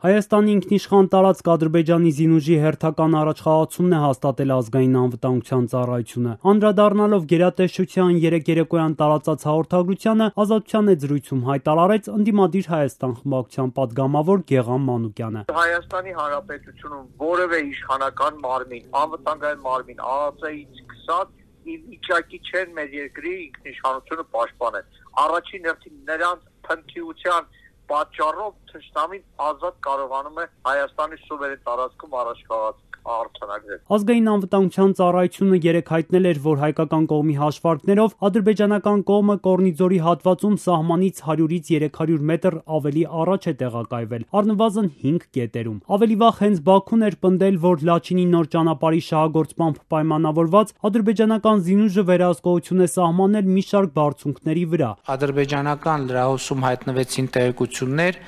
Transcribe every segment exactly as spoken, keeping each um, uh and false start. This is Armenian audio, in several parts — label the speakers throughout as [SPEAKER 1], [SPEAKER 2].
[SPEAKER 1] Հայաստանի ինքնիշխան տարածք Ադրբեջանի զինուժի հերթական առաջխաղացումն է հաստատել ազգային անվտանգության ծառայությունը։ Անդրադառնալով գերատեսչության երեկ երեկոյան տարածած հաղորդագրությանը, Ազատության հետ զրույցում հայտարարեց ընդդիմադիր Հայաստան խմբակցության պատգամավոր Գեղամ Մանուկյանը։
[SPEAKER 2] Հայաստանի Հանրապետությունում որևէ իշխանական մարմին, անվտանգային մարմին ԱԱԾ-ից սկսած ի վիճակի չեն մեր երկրի ինքնիշխանությունը պաշտպանել։ Առաջին հերթին նրանց փնթիության պատճառով թշնամին ազատ կարողանում է Հայաստանի սուվերեն տարածքում առաջխաղացել արձանագրել։
[SPEAKER 1] Ազգային անվտանգության ծառայությունը երեկ հայտնել էր, որ հայկական կողմի հաշվարկներով ադրբեջանական կողմը Կորնիձորի հատվածում սահմանից հարյուրից երեք հարյուր մետր ավելի առաջ է տեղակայվել, առնվազն հինգ կետերում։ Ավելի վաղ հենց Բաքուն էր պնդել, որ Լաչինի նոր ճանապարհի շահագործմամբ պայմանավորված ադրբեջանական զինուժը վերահսկողություն է սահմանել մի շարք բարձունքների վրա։
[SPEAKER 3] Ադրբեջանական լրահոսում հայտնվեցին տեղեկություններ,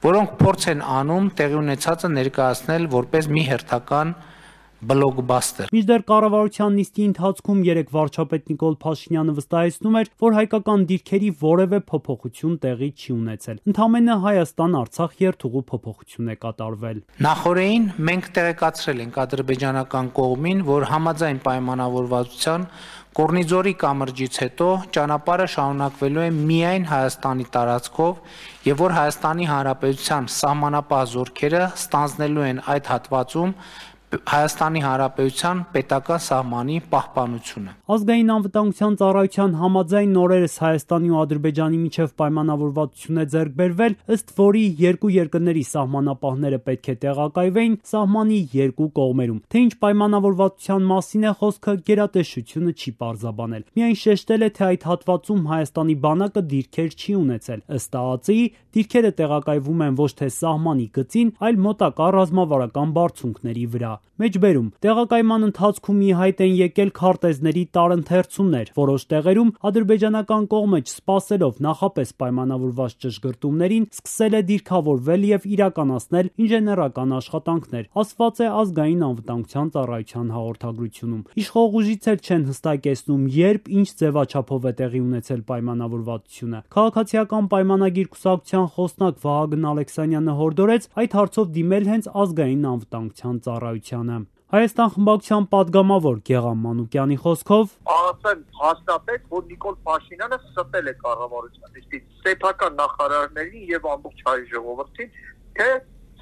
[SPEAKER 3] որոնք փորձ են անում տեղի ունեցածը ներկայացնել որպես մի հերթական բլոկբաստեր։
[SPEAKER 1] Մինչդեռ կառավարության նիստի ընթացքում երեկ վարչապետ Նիկոլ Փաշինյանը վստահեցնում էր, որ հայկական դիրքերի որևէ փոփոխություն տեղի չի ունեցել։ Ընդամենը Հայաստան-Արցախ երթուղու փոփոխություն է կատարվել։
[SPEAKER 3] Նախորդին մենք տեղեկացրել ենք ադրբեջանական կողմին, որ համաձայն պայմանավորվածության Կորնիձորի կամրջից հետո ճանապարհը շարունակվելու է միայն Հայաստանի տարածքով եւ որ Հայաստանի Հանրապետության սահմանապահ զորքերը ստանձնելու են այդ հատվածում Հայաստանի Հանրապետության պետական սահմանի պահպանությունը։
[SPEAKER 1] Ազգային անվտանգության ծառայության համաձայն օրերս Հայաստանի ու Ադրբեջանի միջև պայմանավորվածություն է ձեռք բերվել, ըստ որի երկու երկրների սահմանապահները պետք է տեղակայվեին սահմանի երկու կողմերում։ Թե ինչ պայմանավորվածության մասին է խոսքը, գերատեսչությունը չի պարզաբանել։ Միայն շեշտել է, թե այդ հատվածում Հայաստանի բանակը դիրքեր չի ունեցել։ Ըստ ԱԱԾ-ի դիրքերը տեղակայվում են ոչ թե սահմանի գծին, այլ մոտակա ռազմավարական բարձունքների վրա։ Մեջբերում տեղակայման ընթացքում ի հայտ են եկել քարտեզների տարընթերցումներ։ Որոշ տեղերում ադրբեջանական կողմը չսպասելով նախապես պայմանավորված ճշգրտումներին սկսել է դիրքավորվել եւ իրականացնել ինժեներական աշխատանքներ, ասված է ազգային անվտանգության ծառայության հաղորդագրությունում։ Իշխող ուժից էլ չեն հստակեցնում, երբ ինչ ձևաչափով է տեղի ունեցել պայմանավորվածությունը։ Քաղաքացիական պայմանագիր կուսակցության խոսնակ Վահագն Ալեքսանյանը հորդորեց այդ հարցով դիմել հենց ազգային անվտանգության ծառայությանը։ Հայաստան խմբակցության պատգամավոր Գեղամ Մանուկյանի խոսքով
[SPEAKER 2] ԱԱԾ-ն հաստատեց, որ Նիկոլ Փաշինյանը ստել է կառավարության նիստից սեփական նախարարներին եւ ամբողջ հայ ժողովրդին, թե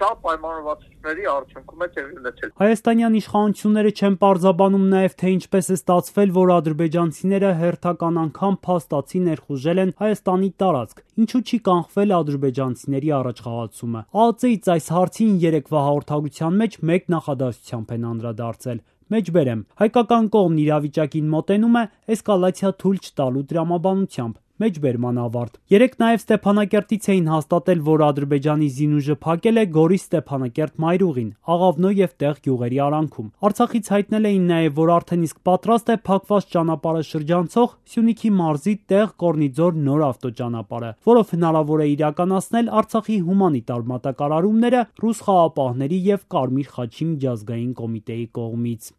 [SPEAKER 2] սա պայմանավորվածությունների արդյունքում է տեղի ունեցել։
[SPEAKER 1] Հայաստանյան իշխանությունները չեն պարզաբանում նաև, թե ինչպես է ստացվել, որ ադրբեջանցիները հերթական անգամ փաստացի ներխուժել են Հայաստանի տարածք։ Ինչու չի կանխվել ադրբեջանցիների առաջխաղացումը։ ԱԱԾ-ից այս հարցին երեկվա հաղորդագրության մեջ մեկ նախադասությամբ են անդրադարձել։ Մեջբերեմ, հայկական կողմն իրավիճակին մոտենում է էսկալացիա թույլ չտալու տրամաբանությամբ։ Մեջբերման ավարտ։ Երեկ նաև Ստեփանակերտից էին հաստատել, որ Ադրբեջանի զինուժը փակել է Գորիս Ստեփանակերտ մայրուղին, Աղավնո եւ Տեղ գյուղերի արանքում։ Արցախից հայտնել էին նաև, որ արդեն իսկ պատրաստ է փակված ճանապարհը շրջանցող Սյունիքի մարզի Տեղ Կորնիձոր նոր ավտոճանապարհը, որով հնարավոր է իրականացնել Արցախի հումանիտար մատակարարումները ռուս խաղապահների եւ Կարմիր խաչի միջազգային կոմիտեի կողմից։